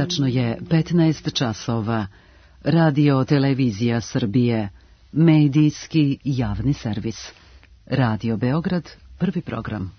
Tačno je 15 časova. Radio Televizija Srbije. Medijski javni servis. Radio Beograd, prvi program.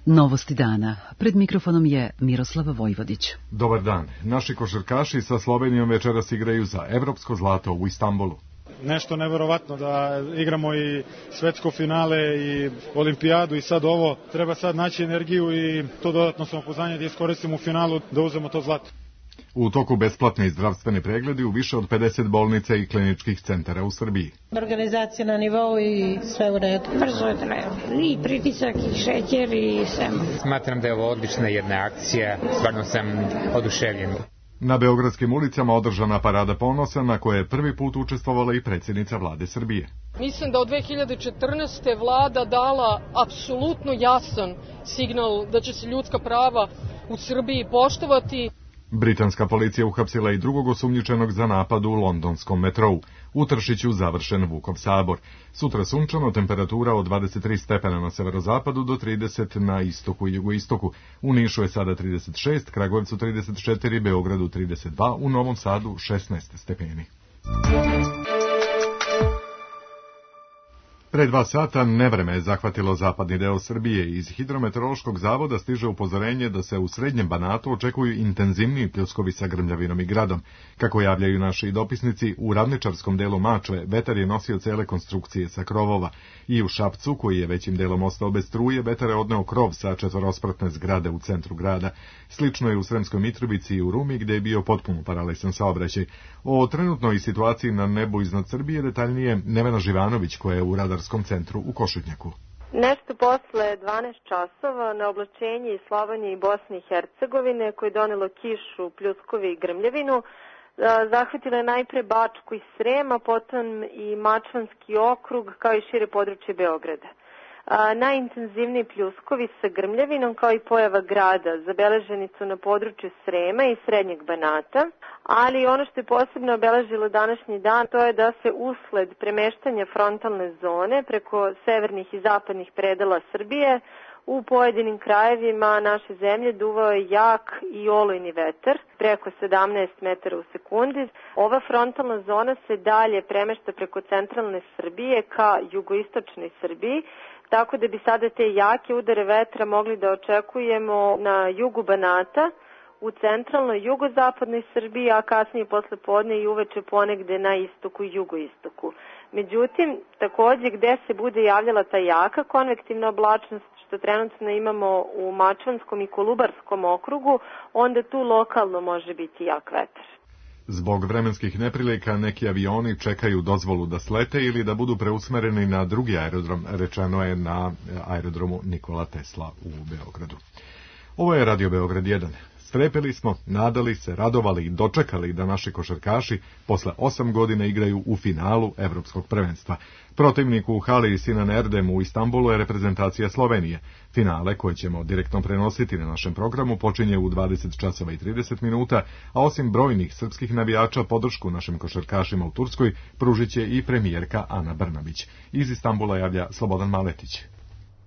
Novosti dana. Pred mikrofonom je Miroslava Vojvodić. Dobar dan. Naši košarkaši sa Slovenijom večeras igraju za evropsko zlato u Istanbulu. Nešto neverovatno da igramo i svetsko finale i olimpijadu i sad ovo. Treba sad naći energiju i to dodatno samopouzdanje da iskoristimo u finalu da uzmemo to zlato. U toku besplatni zdravstveni pregledi u više od 50 bolnica i kliničkih centara u Srbiji. Organizacija na nivou i sve u redu. Brzo je trajalo. I pritisak, i šećer, i sve. Smatram da je ovo odlična jedna akcija. Stvarno sam oduševljen. Na beogradskim ulicama održana parada ponosa na kojoj je prvi put učestvovala i predsjednica vlade Srbije. Mislim da od 2014. vlada dala apsolutno jasan signal da će se ljudska prava u Srbiji poštovati. Britanska policija uhapsila i drugog osumnjičenog za napad u londonskom metrou. U Tršiću završen Vukov sabor. Sutra sunčano, temperatura od 23 stepena na severozapadu do 30 na istoku i jugoistoku. U Nišu je sada 36, Kragujevcu 34, Beogradu 32, u Novom Sadu 16 stepeni. Pre 2 sata nevreme je zahvatilo zapadni deo Srbije. Iz Hidrometeorološkog zavoda stiže upozorenje da se u srednjem Banatu očekuju intenzivniji pljuskovi sa grmljavinom i gradom. Kako javljaju naši dopisnici, u ravničarskom delu Mačve vetar je nosio cele konstrukcije sa krovova. I u Šapcu, koji je većim delom ostao bez struje, vetar je odneo krov sa 4-spratne zgrade u centru grada. Slično je u Sremskoj Mitrovici i u Rumi, gde je bio potpuno paralisan saobraćaj. O trenutnoj situaciji na nebu iznad Srbije detaljnije Nevena Živanović, koja je u radarskom centru u Košutnjaku. Nešto posle 12 časova na oblačenje iz Slovenije i Bosne i Hercegovine, koje je donelo kišu, pljuskovi i grmljavinu, zahvatilo je najpre Bačku i Srem, a potom i Mačvanski okrug, kao i šire područje Beograda. Najintenzivniji pljuskovi sa grmljavinom kao i pojava grada zabeleženi su na području Srema i Srednjeg Banata, ali ono što je posebno obeležilo današnji dan to je da se usled premeštanja frontalne zone preko severnih i zapadnih predela Srbije u pojedinim krajevima naše zemlje duvao je jak i olujni vetar, preko 17 metara u sekundi. Ova frontalna zona se dalje premešta preko centralne Srbije ka jugoistočnoj Srbiji, tako da bi sada te jake udare vetra mogli da očekujemo na jugu Banata, u centralnoj jugozapadnoj Srbiji, a kasnije posle podne i uveče ponegde na istoku i jugoistoku. Međutim, takođe gde se bude javljala ta jaka konvektivna oblačnost, što trenutno imamo u Mačvanskom i Kolubarskom okrugu, onda tu lokalno može biti jak vetar. Zbog vremenskih neprilika neki avioni čekaju dozvolu da slete ili da budu preusmereni na drugi aerodrom, rečeno je na aerodromu Nikola Tesla u Beogradu. Ovo je Radio Beograd 1. Strepeli smo, nadali se, radovali i dočekali da naši košarkaši posle 8 godina igraju u finalu evropskog prvenstva. Protivnik u hali Sinan Erdem u Istanbulu je reprezentacija Slovenije. Finale, koje ćemo direktno prenositi na našem programu, počinje u 20 časova i 30 minuta, a osim brojnih srpskih navijača podršku našim košarkašima u Turskoj pružit će i premijerka Ana Brnabić. Iz Istanbula javlja Slobodan Maletić.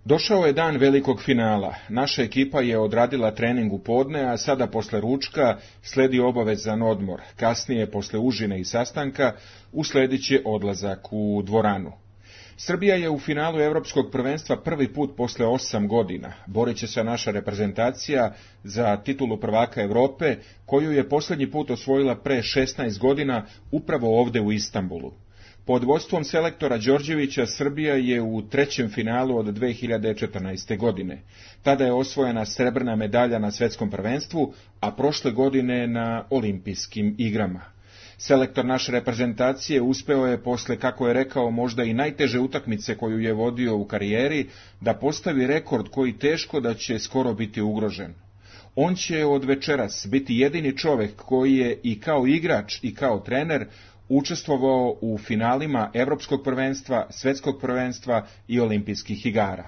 Došao je dan velikog finala. Naša ekipa je odradila trening u podne, a sada posle ručka sledi obavezan odmor. Kasnije, posle užine i sastanka, usledit će odlazak u dvoranu. Srbija je u finalu evropskog prvenstva prvi put posle 8 godina. Borit će se naša reprezentacija za titulu prvaka Evrope, koju je posljednji put osvojila pre 16 godina upravo ovde u Istanbulu. Pod vodstvom selektora Đorđevića Srbija je u trećem finalu od 2014. godine. Tada je osvojena srebrna medalja na svetskom prvenstvu, a prošle godine na olimpijskim igrama. Selektor naše reprezentacije uspeo je posle, kako je rekao, možda i najteže utakmice koju je vodio u karijeri, da postavi rekord koji teško da će skoro biti ugrožen. On će od večeras biti jedini čovjek koji je i kao igrač i kao trener učestvovao u finalima Evropskog prvenstva, Svetskog prvenstva i Olimpijskih igara.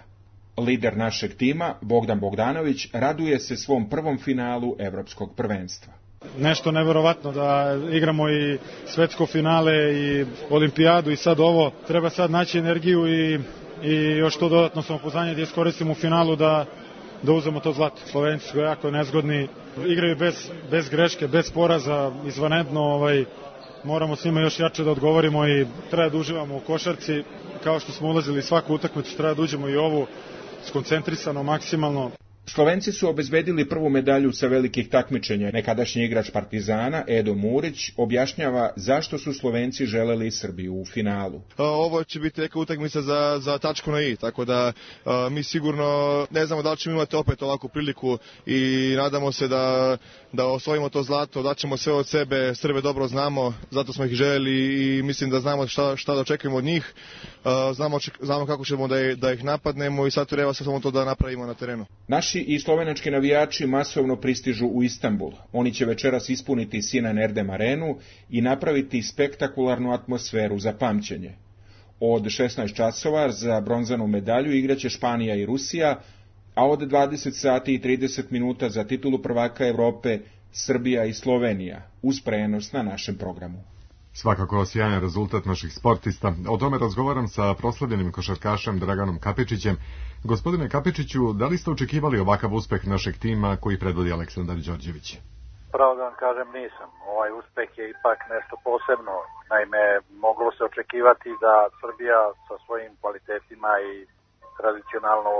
Lider našeg tima, Bogdan Bogdanović, raduje se svom prvom finalu Evropskog prvenstva. Nešto neverovatno da igramo i svetsko finale i olimpijadu i sad ovo. Treba sad naći energiju i i još to dodatno samopouzdanje da iskoristim u finalu da uzmemo to zlato. Slovenci su jako nezgodni, igraju bez greške, bez poraza, izvanredno, moramo s njima još jače da odgovorimo i treba da uživamo u košarci, kao što smo ulazili svaku utakmicu, treba da uđemo i ovu skoncentrisano, maksimalno. Slovenci su obezbedili prvu medalju sa velikih takmičenja. Nekadašnji igrač Partizana, Edo Murić, objašnjava zašto su Slovenci želeli Srbiju u finalu. Ovo će biti neka utakmica za tačku na i, tako da mi sigurno ne znamo da li ćemo imati opet ovakvu priliku i nadamo se da osvojimo to zlato, daćemo sve od sebe, Srbe dobro znamo, zato smo ih željeli i mislim da znamo šta da očekujemo od njih, znamo kako ćemo da ih napadnemo i sad treba samo to da napravimo na terenu. Naši i slovenački navijači masovno pristižu u Istanbul. Oni će večeras ispuniti Sinan Erdem arenu i napraviti spektakularnu atmosferu za pamćenje. Od 16 časova za bronzanu medalju igraće Španija i Rusija, a od 20 sati i 30 minuta za titulu prvaka Evrope Srbija i Slovenija, uz prenos na našem programu. Svakako sjajan rezultat naših sportista. O tome razgovaram sa proslavljenim košarkašem Draganom Kapičićem. Gospodine Kapičiću, da li ste očekivali ovakav uspeh našeg tima koji predvodi Aleksandar Đorđević? Pravo da vam kažem, nisam. Ovaj uspeh je ipak nešto posebno. Naime, moglo se očekivati da Srbija sa svojim kvalitetima i tradicionalno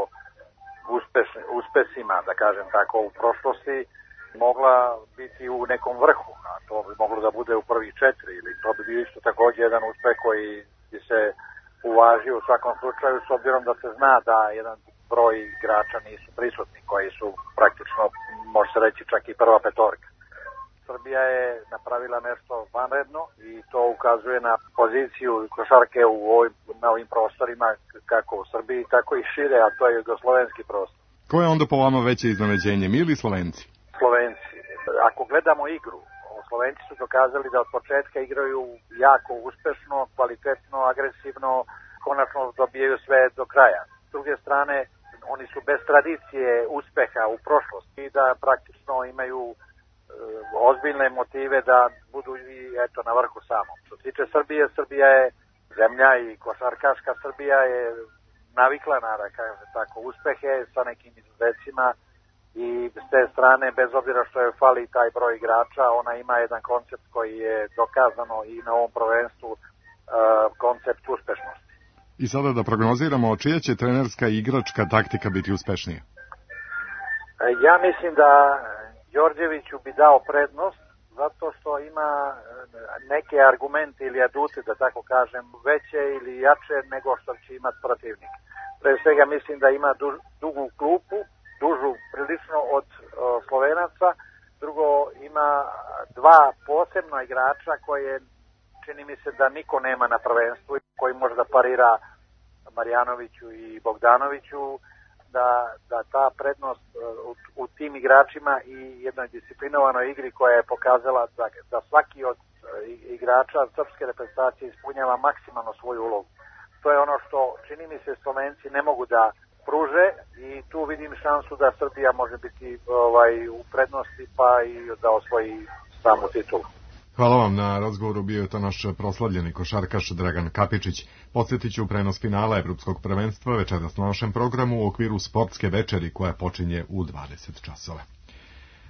uspesima, da kažem tako, u prošlosti, mogla biti u nekom vrhu, a to bi moglo da bude u prvih 4, ili to bi bio isto također jedan uspeh koji bi se uvažio u svakom slučaju, s obzirom da se zna da jedan broj igrača nisu prisutni, koji su praktično, može se reći, čak i prva petorka. Srbija je napravila nešto vanredno i to ukazuje na poziciju košarke na ovim prostorima, kako u Srbiji, tako i šire, a to je jugoslovenski prostor. Ko je onda po vama veće iznenađenje, mi ili Slovenci? Slovenci. Ako gledamo igru, Slovenci su dokazali da od početka igraju jako uspešno, kvalitetno, agresivno, konačno dobijaju sve do kraja. S druge strane, oni su bez tradicije uspeha u prošlosti i da praktično imaju ozbiljne motive da budu i na vrhu samo. Što se tiče Srbije, Srbija je zemlja i košarkaška Srbija je navikla na, da kažem tako, uspehe sa nekim izuzecima. I s te strane, bez obzira što je fali taj broj igrača, ona ima jedan koncept koji je dokazano i na ovom prvenstvu koncept uspešnosti. I sada da prognoziramo, čija će trenerska i igračka taktika biti uspešnija? Ja mislim da Đorđeviću bi dao prednost, zato što ima neke argumente ili adute, da tako kažem, veće ili jače nego što će imati protivnik. Pre svega mislim da ima dugu klupu, dužu prilično od Slovenaca, drugo ima dva posebna igrača koje čini mi se da niko nema na prvenstvu, koji može da parira Marjanoviću i Bogdanoviću, da ta prednost u tim igračima i jednoj disciplinovanoj igri koja je pokazala da svaki od igrača srpske reprezentacije ispunjava maksimalno svoju ulogu. To je ono što čini mi se Slovenci ne mogu da pruže i tu vidim šansu da Srbija može biti u prednosti pa i da osvoji samu titulu. Hvala vam na razgovoru, bio je to naš proslavljeni košarkaš Dragan Kapičić. Podsjetit ću prenos finala Evropskog prvenstva večeras na našem programu u okviru sportske večeri koja počinje u 20 časova.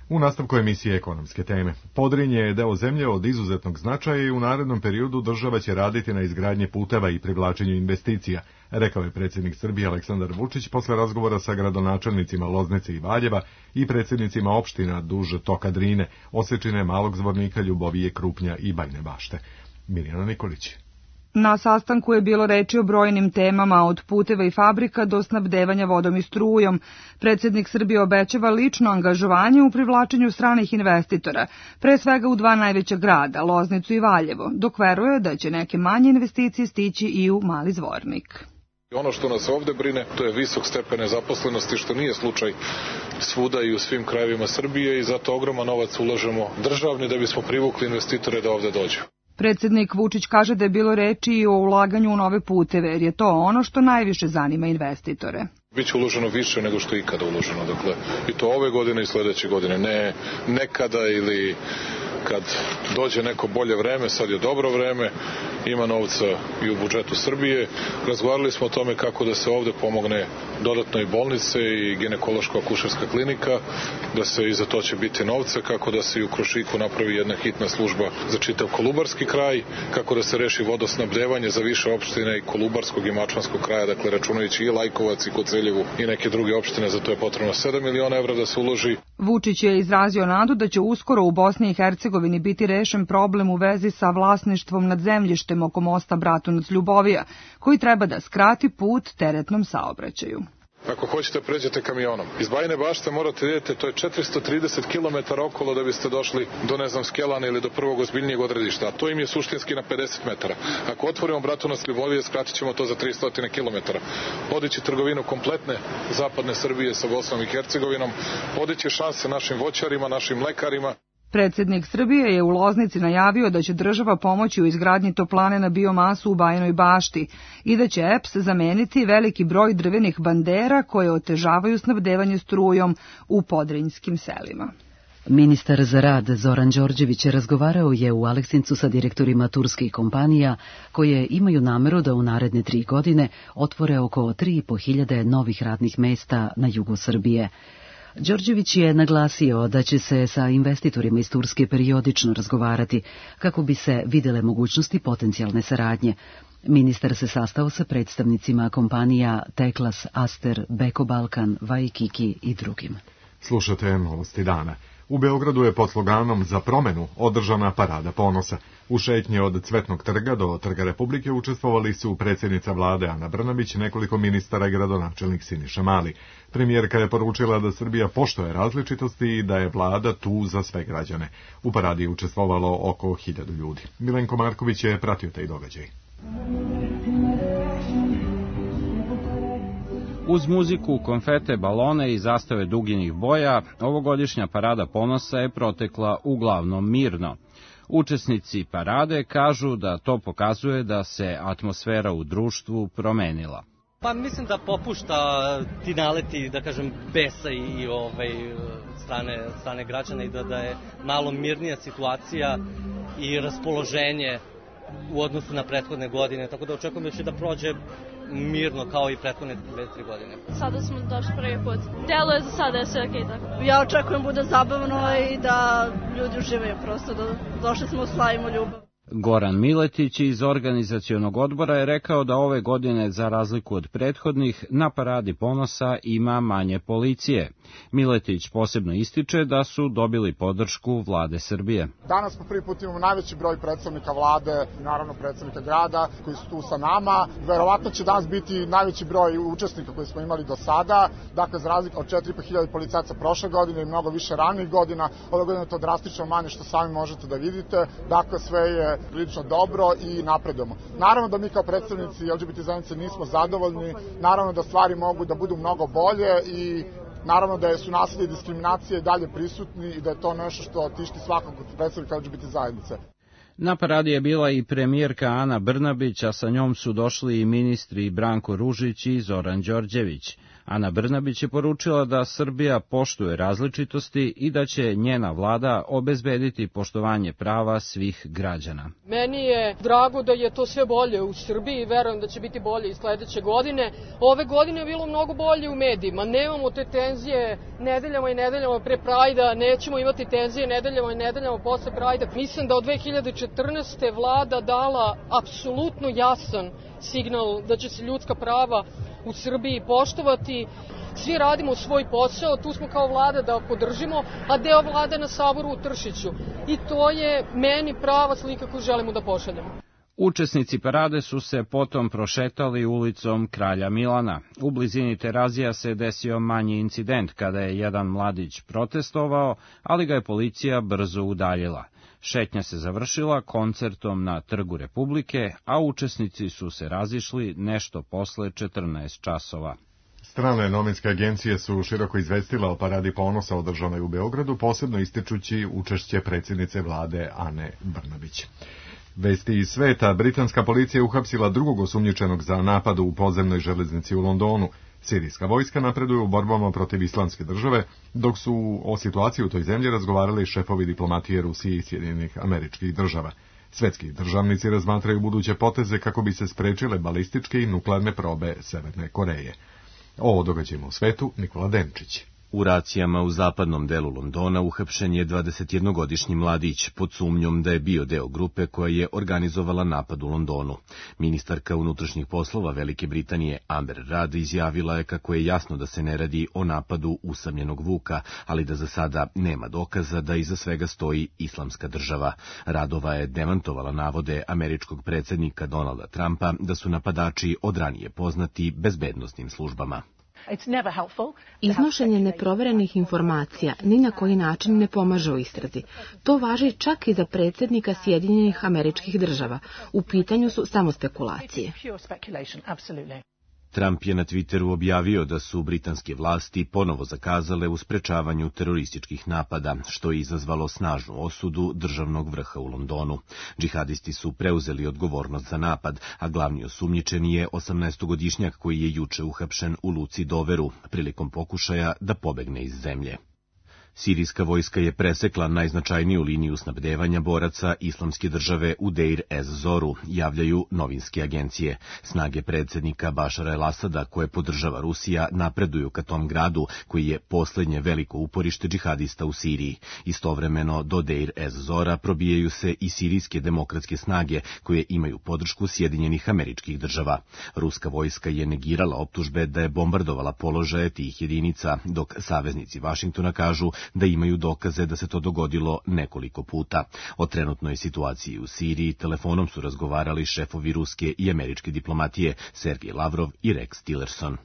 U nastavku emisije ekonomske teme. Podrinje je deo zemlje od izuzetnog značaja i u narednom periodu država će raditi na izgradnji puteva i privlačenju investicija, rekao je predsjednik Srbije Aleksandar Vučić posle razgovora sa gradonačelnicima Loznice i Valjeva i predsjednicima opština duž toka Drine, Osečine, Malog Zvornika, Ljubovije, Krupnja i Bajne Bašte. Mirjana Nikolić. Na sastanku je bilo reči o brojnim temama, od puteva i fabrika do snabdevanja vodom i strujom. Predsjednik Srbije obećava lično angažovanje u privlačenju stranih investitora, pre svega u dva najveća grada, Loznicu i Valjevo, dok veruje da će neke manje investicije stići i u Mali Zvornik. Ono što nas ovde brine, to je visok stepen nezaposlenosti, što nije slučaj svuda i u svim krajevima Srbije i zato ogroman novac ulažemo državni da bismo privukli investitore da ovde dođu. Predsjednik Vučić kaže da je bilo reči i o ulaganju u nove puteve, jer je to ono što najviše zanima investitore. Biće uloženo više nego što je ikada uloženo, dakle, i to ove godine i sledeće godine, ne nekada ili kad dođe neko bolje vreme, sad je dobro vreme, ima novca i u budžetu Srbije. Razgovarali smo o tome kako da se ovde pomogne dodatno i bolnice i ginekološko-akušerska klinika, da se i za to će biti novca, kako da se i u Krušiku napravi jedna hitna služba za čitav Kolubarski kraj, kako da se reši vodosnabdevanje za više opštine i Kolubarskog i Mačvanskog kraja, dakle računajući i Lajkovac i Koceljevu i neke druge opštine, za to je potrebno 7 miliona evra da se uloži. Vučić je izrazio nadu da će uskoro u Bosni i Hercegovini biti rešen problem u vezi sa vlasništvom nad zemljištem oko mosta Bratunac-Ljubovija, koji treba da skrati put teretnom saobraćaju. Ako hoćete pređete kamionom. Iz Bajine Bašte morate idete, to je 430 km okolo da biste došli do, ne znam, Skelana ili do prvog ozbiljnijeg odredišta, a to im je suštinski na 50 metara. Ako otvorimo Bratunac-Ljubovija, skratit ćemo to za 300 km. Podići trgovinu kompletne zapadne Srbije sa Bosnom i Hercegovinom, podići šanse našim voćarima, našim mlekarima. Predsednik Srbije je u Loznici najavio da će država pomoći u izgradnji toplane na biomasu u Bajinoj Bašti i da će EPS zameniti veliki broj drvenih bandera koje otežavaju snabdevanje strujom u podrinjskim selima. Ministar za rad Zoran Đorđević razgovarao je u Aleksincu sa direktorima turskih kompanija koje imaju nameru da u naredne 3 godine otvore oko 3.500 novih radnih mesta na jugu Srbije. Đorđević je naglasio da će se sa investitorima iz Turske periodično razgovarati kako bi se videle mogućnosti potencijalne saradnje. Ministar se sastao sa predstavnicima kompanija Teklas, Aster, Beko Balkan, Waikiki i drugim. Slušate Novosti dana. U Beogradu je pod sloganom Za promenu održana parada ponosa. U šetnji od Cvetnog trga do Trga Republike učestvovali su predsjednica vlade Ana Brnabić, nekoliko ministara i gradonačelnik Siniša Mali. Premijerka je poručila da Srbija poštuje različitosti i da je vlada tu za sve građane. U paradi je učestvovalo oko 1000 ljudi. Milenko Marković je pratio taj događaj. Uz muziku, konfete, balone i zastave duginih boja, ovogodišnja parada ponosa je protekla uglavnom mirno. Učesnici parade kažu da to pokazuje da se atmosfera u društvu promenila. Pa mislim da popušta ti naleti, da kažem, besa i strane građana i da je malo mirnija situacija i raspoloženje u odnosu na prethodne godine, tako da očekujem da će da prođe mirno kao i prethodne 2-3 godine. Sada smo došli prvi put. Deluje za sada je sve okej tako. Ja očekujem bude zabavno i da ljudi uživaju prosto, da došli smo slavimo ljubav. Goran Miletić iz organizacionog odbora je rekao da ove godine, za razliku od prethodnih, na paradi ponosa ima manje policije. Miletić posebno ističe da su dobili podršku vlade Srbije. Danas po prvi put imamo najveći broj predstavnika vlade, naravno predstavnika grada koji su tu sa nama. Verovatno će danas biti najveći broj učesnika koji smo imali do sada. Dakle, za razliku od 4.500 policajaca prošle godine i mnogo više ranijih godina, ove godine je to drastično manje što sami možete da vidite. Dakle, sve je prilično dobro i napredujemo. Naravno da mi kao predstavnici LGBT zajednice nismo zadovoljni, naravno da stvari mogu da budu mnogo bolje i naravno da su nasilje i diskriminacije dalje prisutni i da je to nešto što tišti svakog predstavnika LGBT zajednice. Na paradi je bila i premijerka Ana Brnabić, a sa njom su došli i ministri Branko Ružić i Zoran Đorđević. Ana Brnabić je poručila da Srbija poštuje različitosti i da će njena vlada obezbediti poštovanje prava svih građana. Meni je drago da je to sve bolje u Srbiji i verujem da će biti bolje i sledeće godine. Ove godine je bilo mnogo bolje u medijima. Nemamo te tenzije nedeljama i nedeljama pre Prajda, nećemo imati tenzije nedeljama i nedeljama posle Prajda. Mislim da od 2014. vlada dala apsolutno jasan signal da će se ljudska prava u Srbiji poštovati. Svi radimo svoj posao, tu smo kao vlada da podržimo, a deo vlade na Saboru u Tršiću. I to je meni prava slika koju želimo da pošaljemo. Učesnici parade su se potom prošetali ulicom Kralja Milana. U blizini Terazija se desio manji incident kada je jedan mladić protestovao, ali ga je policija brzo udaljila. Šetnja se završila koncertom na Trgu Republike, a učesnici su se razišli nešto posle 14 časova. Strane novinske agencije su široko izvestile o paradi ponosa održanoj u Beogradu, posebno ističući učešće predsjednice vlade Ane Brnabić. Vesti iz sveta, britanska policija je uhapsila drugog osumnjičenog za napad u podzemnoj železnici u Londonu. Sirijska vojska napreduje u borbama protiv Islamske države, dok su o situaciji u toj zemlji razgovarali šefovi diplomatije Rusije i Sjedinjenih Američkih Država. Svetski državnici razmatraju buduće poteze kako bi se sprečile balističke i nuklearne probe Severne Koreje. O događajima u svetu Nikola Denčić. U racijama u zapadnom delu Londona uhapšen je 21-godišnji mladić pod sumnjom da je bio deo grupe koja je organizovala napad u Londonu. Ministarka unutrašnjih poslova Velike Britanije Amber Rudd izjavila je kako je jasno da se ne radi o napadu usamljenog Vuka, ali da za sada nema dokaza da iza svega stoji Islamska država. Radova je demantovala navode američkog predsjednika Donalda Trumpa da su napadači od ranije poznati bezbednosnim službama. Iznošenje neproverenih informacija ni na koji način ne pomaže u istrazi. To važi čak i za predsjednika Sjedinjenih Američkih Država. U pitanju su samo spekulacije. Trump je na Twitteru objavio da su britanske vlasti ponovo zakazale u sprečavanju terorističkih napada, što je izazvalo snažnu osudu državnog vrha u Londonu. Džihadisti su preuzeli odgovornost za napad, a glavni osumnjičeni je 18-godišnjak koji je juče uhapšen u luci Doveru prilikom pokušaja da pobegne iz zemlje. Sirijska vojska je presekla najznačajniju liniju snabdevanja boraca Islamske države u Deir ez-Zoru, javljaju novinske agencije. Snage predsjednika Bašara el-Asada, koje podržava Rusija, napreduju ka tom gradu, koji je posljednje veliko uporište džihadista u Siriji. Istovremeno do Deir ez-Zora probijaju se i sirijske demokratske snage, koje imaju podršku Sjedinjenih Američkih Država. Ruska vojska je negirala optužbe da je bombardovala položaje tih jedinica, dok saveznici Vašingtona kažu da imaju dokaze da se to dogodilo nekoliko puta. O trenutnoj situaciji u Siriji telefonom su razgovarali šefovi ruske i američke diplomatije Sergej Lavrov i Rex Tillerson.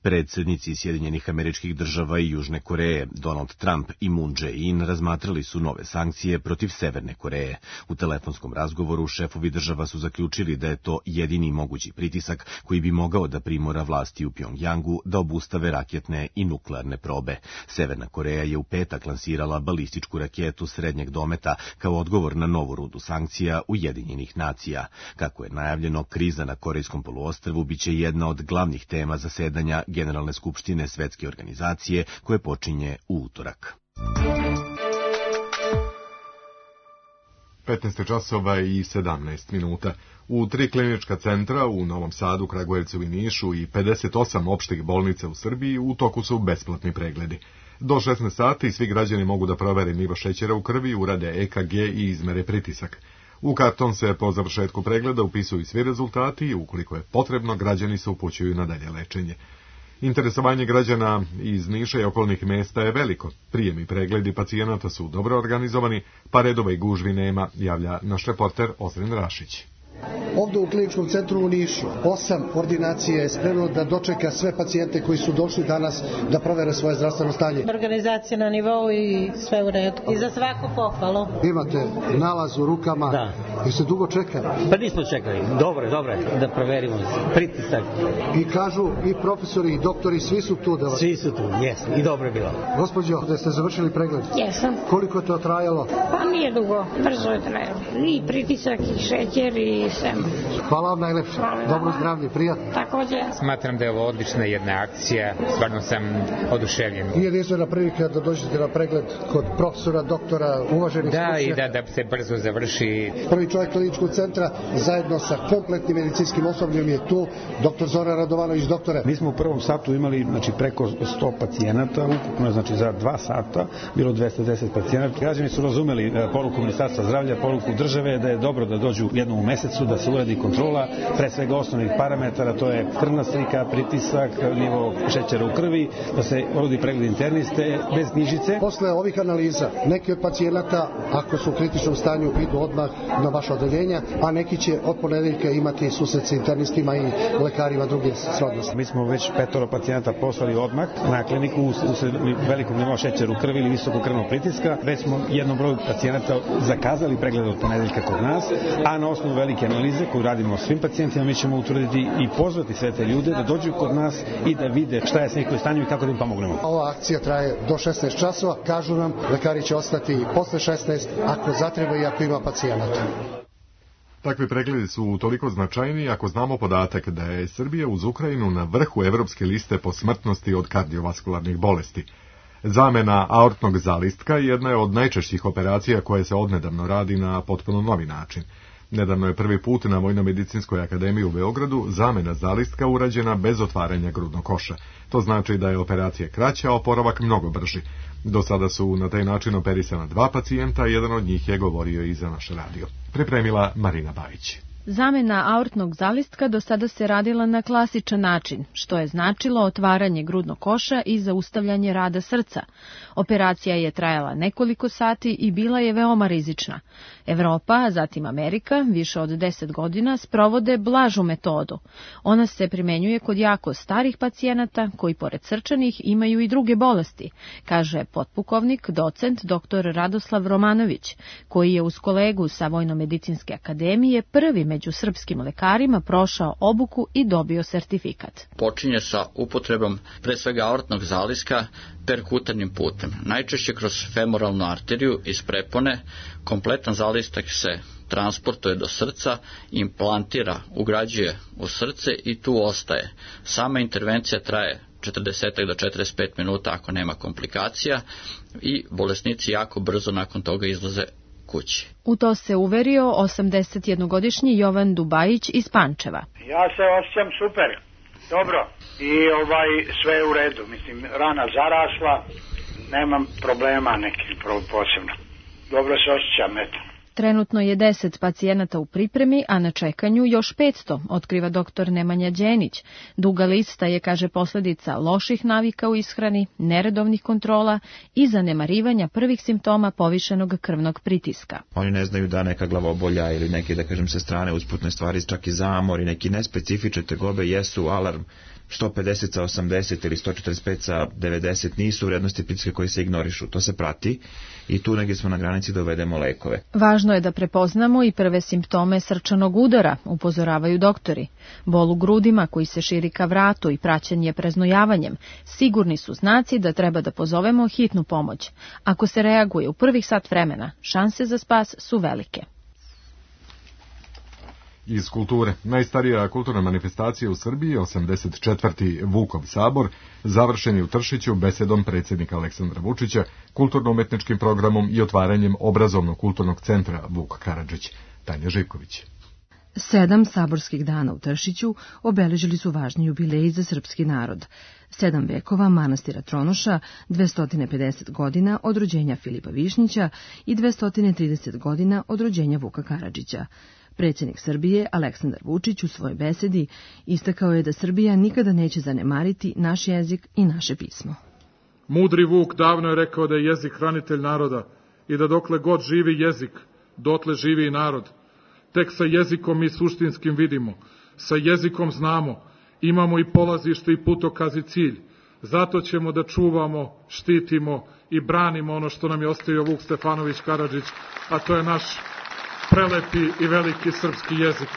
Predsjednici Sjedinjenih Američkih Država i Južne Koreje, Donald Trump i Moon Jae-in, razmatrali su nove sankcije protiv Severne Koreje. U telefonskom razgovoru šefovi država su zaključili da je to jedini mogući pritisak koji bi mogao da primora vlasti u Pjongjangu da obustave raketne i nuklearne probe. Severna Koreja je u petak lansirala balističku raketu srednjeg dometa kao odgovor na novu rundu sankcija Ujedinjenih nacija. Kako je najavljeno, kriza na Korejskom poluostrvu biće jedna od glavnih tema zasedanja Generalne skupštine Svetske organizacije koje počinje u utorak. 15 časova i 17 minuta. U 3 klinička centra u Novom Sadu, Kragujevcu i Nišu i 58 opštih bolnica u Srbiji u toku su besplatni pregledi. Do 16 sati svi građani mogu da provere nivo šećera u krvi, urade EKG i izmere pritisak. U karton se po završetku pregleda upisuju svi rezultati i ukoliko je potrebno, građani se upućuju na dalje lečenje. Interesovanje građana iz Niša i okolnih mesta je veliko. Prijem i pregledi pacijenata su dobro organizovani, pa redova i gužvi nema, javlja naš reporter Ozren Rašić. Ovdje u kliničkom centru u Nišu 8 ordinacija je spremno da dočeka sve pacijente koji su došli danas da provere svoje zdravstveno stanje. Organizacija na nivou i sve u redu. I za svaku pohvalu. Imate nalaz u rukama. Da. I se dugo čeka? Pa nismo čekali. Dobro, da proverimo pritisak. I kažu i profesori i doktori, svi su tu da vas... Svi su tu, jesu. I dobro je bilo. Gospođo, da ste završili pregled? Jesam. Koliko je to trajalo? Pa nije dugo, brzo je trajalo. I pritisak, i šećer, i sve. Hvala vam najlepše. Dobro zdravlje, prijatno. Također. Smatram da je ovo odlična jedna akcija, stvarno sam oduševljen. Nije jedinstvena prilika da dođete na pregled kod profesora, doktora, uvaženih stručnjaka. Da se brzo završi. Prvi čovjek kliničkog centra zajedno sa kompletnim medicinskim osobljem je tu, dr. Zoran Radovanović, doktore. Mi smo u prvom satu imali preko 100 pacijenata, ukupno za 2 sata bilo 210 pacijenata. Građani su razumeli poruku Ministarstva zdravlja, poruku države da je dobro da dođu jednom u mesecu, da se uradi kontrola, pre svega osnovnih parametara, to je krvna slika, pritisak, nivo šećera u krvi, da se uradi pregled interniste, bez knjižice. Posle ovih analiza, neki od pacijenata, ako su u kritičnom stanju, idu odmah na vaše odeljenja, a neki će od ponedeljka imati susret sa internistima i lekarima druge srodnosti. Mi smo već 5 pacijenata poslali odmah na kliniku usled velikog nivoa šećera u krvi ili visokog krvnog pritiska. Već smo jednom broju pacijenata zakazali pregled od ponedeljka kod nas, a na osnovu velike analize koju radimo svim pacijentima, mi ćemo utvrditi i pozvati sve te ljude da dođu kod nas i da vide šta je s njihovim stanjem i kako da im pomognemo. Ova akcija traje do 16 časova, kažu nam, lekari će ostati posle 16 ako zatreba i ako ima pacijenata. Takvi pregledi su toliko značajni ako znamo podatak da je Srbija uz Ukrajinu na vrhu evropske liste po smrtnosti od kardiovaskularnih bolesti. Zamena aortnog zalistka jedna je od najčešćih operacija koje se odnedavno radi na potpuno novi način. Nedavno je prvi put na Vojno-medicinskoj akademiji u Beogradu zamena zalistka urađena bez otvaranja grudnog koša. To znači da je operacija kraća, a oporavak mnogo brži. Do sada su na taj način operisana 2 pacijenta, jedan od njih je govorio i za naš radio. Pripremila Marina Bajić. Zamena aortnog zalistka do sada se radila na klasičan način, što je značilo otvaranje grudnog koša i zaustavljanje rada srca. Operacija je trajala nekoliko sati i bila je veoma rizična. Evropa, a zatim Amerika, više od 10 godina sprovode blažu metodu. Ona se primenjuje kod jako starih pacijenata koji pored srčanih imaju i druge bolesti, kaže potpukovnik, docent dr. Radoslav Romanović, koji je uz kolegu sa Vojno-medicinske akademije prvi među srpskim lekarima prošao obuku i dobio sertifikat. Počinje sa upotrebom pre svega aortnog zaliska perkutarnim putem. Najčešće kroz femoralnu arteriju iz prepone, kompletan zalistak se transportuje do srca, implantira, ugrađuje u srce i tu ostaje. Sama intervencija traje 40 do 45 minuta ako nema komplikacija i bolesnici jako brzo nakon toga izlaze kući. U to se uverio 81-godišnji Jovan Dubajić iz Pančeva. Ja se osjećam super, dobro i sve je u redu, mislim rana zarasla, nemam problema nekih posebno. Dobro se osjećam, eto. Trenutno je 10 pacijenata u pripremi, a na čekanju još 500, otkriva dr. Nemanja Đenić. Duga lista je, kaže, posljedica loših navika u ishrani, neredovnih kontrola i zanemarivanja prvih simptoma povišenog krvnog pritiska. Oni ne znaju da neka glavobolja ili neke, da kažem, sa strane usputne stvari, čak i zamor i neki nespecifične tegobe jesu alarm. 150 sa 80 ili 145 sa 90 nisu vrednosti pritiska koje se ignorišu. To se prati i tu negdje smo na granici da uvedemo lekove. Važno je da prepoznamo i prve simptome srčanog udara, upozoravaju doktori. Bol u grudima koji se širi ka vratu i praćenje preznojavanjem sigurni su znaci da treba da pozovemo hitnu pomoć. Ako se reaguje u prvih sat vremena, šanse za spas su velike. Iz kulture. Najstarija kulturna manifestacija u Srbiji, 84. Vukov sabor, završen je u Tršiću besedom predsjednika Aleksandra Vučića, kulturno-umetničkim programom i otvaranjem obrazovno-kulturnog centra Vuk Karadžić. Tanja Živković. 7 saborskih dana u Tršiću obeležili su važni jubileji za srpski narod. 7 vekova manastira Tronoša, 250 godina od rođenja Filipa Višnjića i 230 godina od rođenja Vuka Karadžića. Predsjednik Srbije, Aleksandar Vučić, u svojoj besedi istakao je da Srbija nikada neće zanemariti naš jezik i naše pismo. Mudri Vuk davno je rekao da je jezik hranitelj naroda i da dokle god živi jezik, dotle živi i narod. Tek sa jezikom mi suštinskim vidimo, sa jezikom znamo, imamo i polazište i putokaz i cilj. Zato ćemo da čuvamo, štitimo i branimo ono što nam je ostavio Vuk Stefanović Karadžić, a to je naš prelepi i veliki srpski jezik.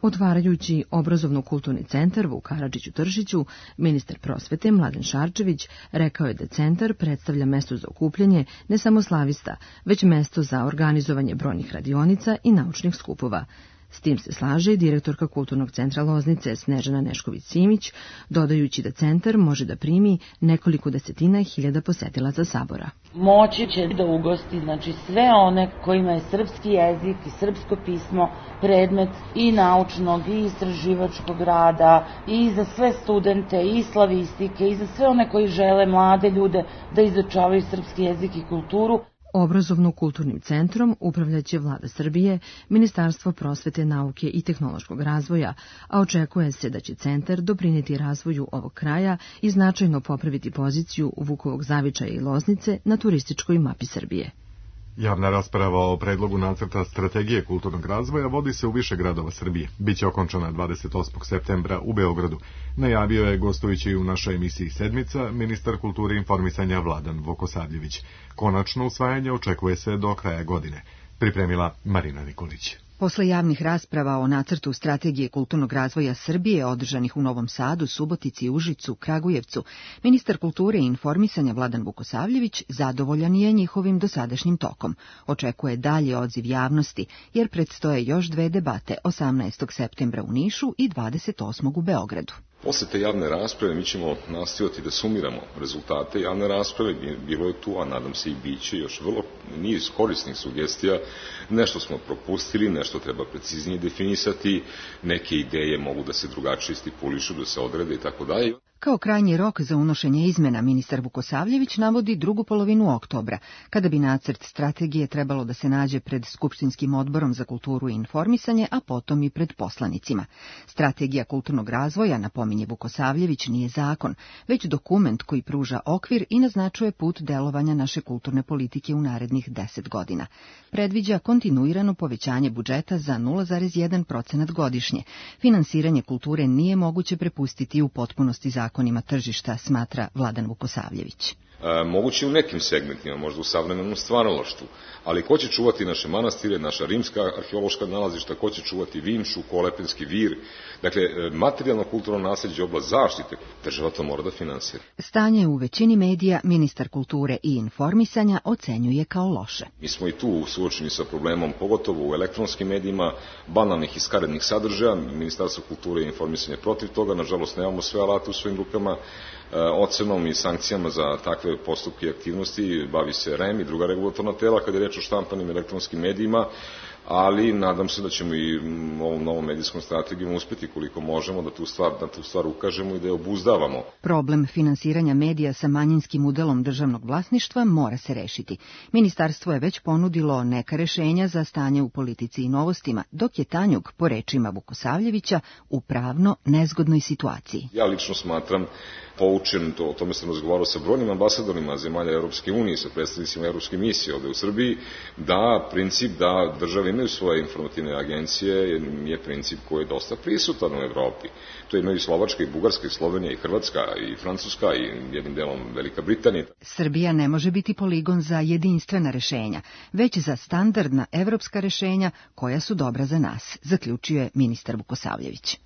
Otvarajući obrazovno-kulturni centar Vuk Karadžić u Tršiću, ministar prosvete Mladen Šarčević rekao je da centar predstavlja mesto za okupljanje ne samo slavista, već mesto za organizovanje brojnih radionica i naučnih skupova. S tim se slaže i direktorka Kulturnog centra Loznice Snežana Nešković-Simić, dodajući da centar može da primi nekoliko desetina hiljada posetilaca sabora. Moći će da ugosti sve one kojima je srpski jezik i srpsko pismo predmet i naučnog i istraživačkog rada i za sve studente i slavistike i za sve one koji žele mlade ljude da izučavaju srpski jezik i kulturu. Obrazovno-kulturnim centrom upravljaće Vlada Srbije, Ministarstvo prosvete, nauke i tehnološkog razvoja, a očekuje se da će centar doprinijeti razvoju ovog kraja i značajno popraviti poziciju Vukovog Zavičaja i Loznice na turističkoj mapi Srbije. Javna rasprava o predlogu nacrta strategije kulturnog razvoja vodi se u više gradova Srbije. Biće okončana 28. septembra u Beogradu. Najavio je, gostujući u našoj emisiji Sedmica, ministar kulture i informisanja Vladan Vukosavljević. Konačno usvajanje očekuje se do kraja godine. Pripremila Marina Nikolić. Posle javnih rasprava o nacrtu strategije kulturnog razvoja Srbije održanih u Novom Sadu, Subotici, Užicu, Kragujevcu, ministar kulture i informisanja Vladan Vukosavljević zadovoljan je njihovim dosadašnjim tokom. Očekuje dalje odziv javnosti, jer predstoje još 2 debate 18. septembra u Nišu i 28. u Beogradu. Posle te javne rasprave mi ćemo nastojati da sumiramo rezultate javne rasprave, bilo je tu, a nadam se i biće još vrlo niz korisnih sugestija, nešto smo propustili, nešto treba preciznije definisati, neke ideje mogu da se drugačije stipulišu, da se odrede i tako dalje. Kao krajnji rok za unošenje izmena ministar Vukosavljević navodi drugu polovinu oktobra, kada bi nacrt strategije trebalo da se nađe pred Skupštinskim odborom za kulturu i informisanje, a potom i pred poslanicima. Strategija kulturnog razvoja, napominje Vukosavljević, nije zakon, već dokument koji pruža okvir i naznačuje put delovanja naše kulturne politike u narednih 10 godina. Predviđa kontinuirano povećanje budžeta za 0,1% godišnje. Finansiranje kulture nije moguće prepustiti u potpunosti zakonima tržišta, smatra Vladan Vukosavljević. Moguće u nekim segmentima, možda u savremenom stvaralaštvu, ali ko će čuvati naše manastire, naša rimska arheološka nalazišta, ko će čuvati Vinču, Kolepenski vir, dakle, materijalno kulturno nasleđe, oblast zaštite, država to mora da finansira. Stanje u većini medija ministar kulture i informisanja ocenjuje kao loše. Mi smo i tu suočeni sa problemom, pogotovo u elektronskim medijima, banalnih i skarednih sadržaja. Ministarstvo kulture i informisanja protiv toga, nažalost nemamo sve alate u svojim rukama. Ocenom i sankcijama za takve postupke i aktivnosti bavi se REM i druga regulatorna tela kada je reč o štampanim elektronskim medijima, ali nadam se da ćemo i ovom novom medijskom strategijom uspjeti koliko možemo da tu stvar ukažemo i da je obuzdavamo. Problem finansiranja medija sa manjinskim udelom državnog vlasništva mora se rešiti. Ministarstvo je već ponudilo neka rešenja za stanje u politici i novostima, dok je Tanjug, po rečima Vukosavljevića, u pravno nezgodnoj situaciji. Ja lično smatram, poučen, o tome sam razgovarao sa brojnim ambasadorima zemalja Europske unije, sa predstavnicima Europske misije ovde u Srbiji, da princip da države imaju svoje informativne agencije je princip koji je dosta prisutan u Evropi. To imaju i Slovačka, i Bugarska, i Slovenija, i Hrvatska, i Francuska, i jednim delom Velika Britanija. Srbija ne može biti poligon za jedinstvena rešenja, već za standardna evropska rešenja koja su dobra za nas, zaključuje ministar Vukosavljević.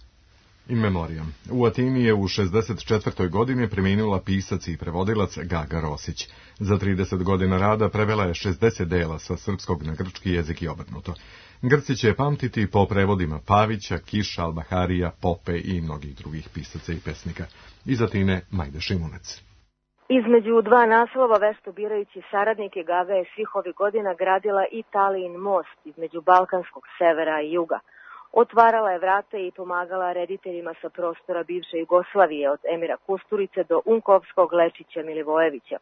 In memoriam. U Atini je u 64. godini preminula pisac i prevodilac Gaga Rosić. Za 30 godina rada prevela je 60 dela sa srpskog na grčki jezik i obrnuto. Grci će je pamtiti po prevodima Pavića, Kiša, Albaharija, Pope i mnogih drugih pisaca i pesnika. Iz Atine, Majda Šimunec. Između dva naslova vešto birajući saradnike, Gaga je svih ovih godina gradila i Talijin most između balkanskog severa i juga. Otvarala je vrata i pomagala rediteljima sa prostora bivše Jugoslavije, od Emira Kusturice do Unkovskog, Lečića, Milivojevića.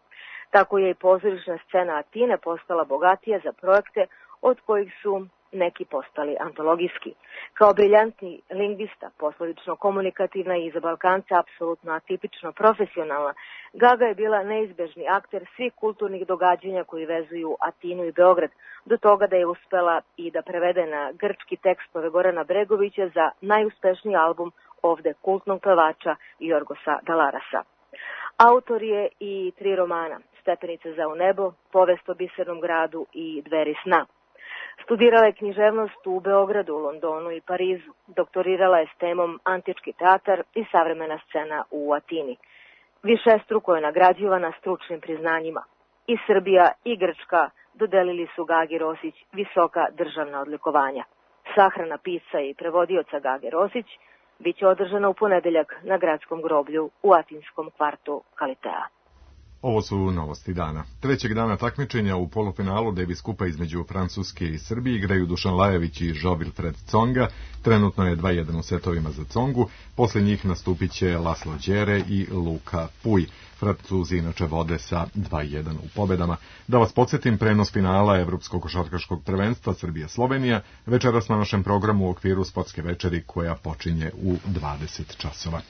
Tako je i pozorišna scena Atine postala bogatija za projekte od kojih su neki postali antologijski. Kao briljantni lingvista, poslovično komunikativna i za Balkanca apsolutno atipično profesionalna, Gaga je bila neizbežni akter svih kulturnih događanja koji vezuju Atinu i Beograd, do toga da je uspela i da prevede na grčki tekstove Gorana Bregovića za najuspešniji album ovde kultnog pevača Jorgosa Dalarasa. Autor je i 3 romana, Stepenice za u nebo, Povest o bisernom gradu i Dveri sna. Studirala je književnost u Beogradu, Londonu i Parizu. Doktorirala je s temom Antički teatar i savremena scena u Atini. Višestruko je nagrađivana stručnim priznanjima. I Srbija i Grčka dodelili su Gagi Rosić visoka državna odlikovanja. Sahrana pisca i prevodioca Gage Rosić biće održana u ponedeljak na gradskom groblju u atinskom kvartu Kalitea. Ovo su novosti dana. Trećeg dana takmičenja u polufinalu Davis Kupa između Francuske i Srbije igraju Dušan Lajović i Jo-Wilfried Tsonga. Trenutno je 2:1 u setovima za Tsongu. Posle njih nastupit će Laslo Đere i Luka Puj. Francuzi inače vode sa 2:1 u pobedama. Da vas podsjetim, prenos finala Evropskog košarkaškog prvenstva Srbija-Slovenija večeras na našem programu u okviru sportske večeri koja počinje u 20 časova.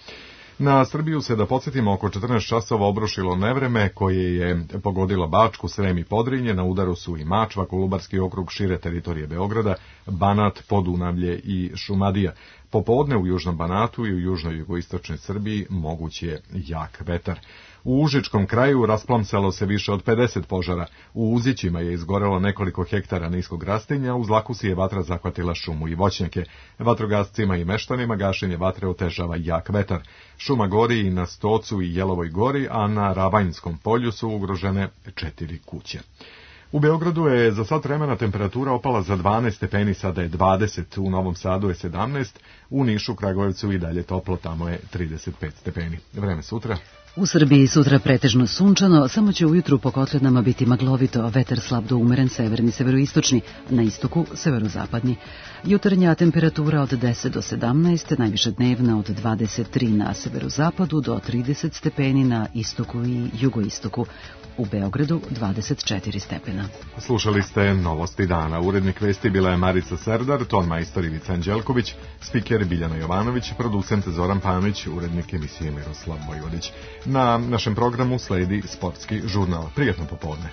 Na Srbiju se, da podsjetimo, oko 14 časova obrušilo nevreme koje je pogodilo Bačku, Srem i Podrinje. Na udaru su i Mačva, Kolubarski okrug, šire teritorije Beograda, Banat, Podunavlje i Šumadija. Popodne u južnom Banatu i u južnoj jugoistočnoj Srbiji moguć je jak vetar. U Užičkom kraju rasplamsalo se više od 50 požara. U Uzićima je izgorelo nekoliko hektara niskog rastinja, u Zlakusi je vatra zahvatila šumu i voćnjake. Vatrogascima i meštanima gašenje vatre otežava jak vetar. Šuma gori i na Stocu i Jelovoj gori, a na Ravanjskom polju su ugrožene 4 kuće. U Beogradu je za sat vremena temperatura opala za 12 stepeni, sada je 20, u Novom Sadu je 17, u Nišu, Kragujevcu i dalje toplo, tamo je 35 stepeni. Vreme sutra. U Srbiji sutra pretežno sunčano, samo će ujutru po kotlinama biti maglovito, vetar slab do umeren severni severoistočni, na istoku severozapadni. Jutarnja temperatura od 10 do 17, najviše dnevna od 23 na severozapadu do 30 stepeni na istoku i jugoistoku. U Beogradu 24 stepena. Slušali ste Novosti dana. Urednik vesti bila je Marica Serdar, ton majstor Ivica Anđelković, spiker Biljana Jovanović, producent Zoran Panović, urednik emisije Miroslav Vojvodić. Na našem programu sledi sportski žurnal. Prijatno popodne.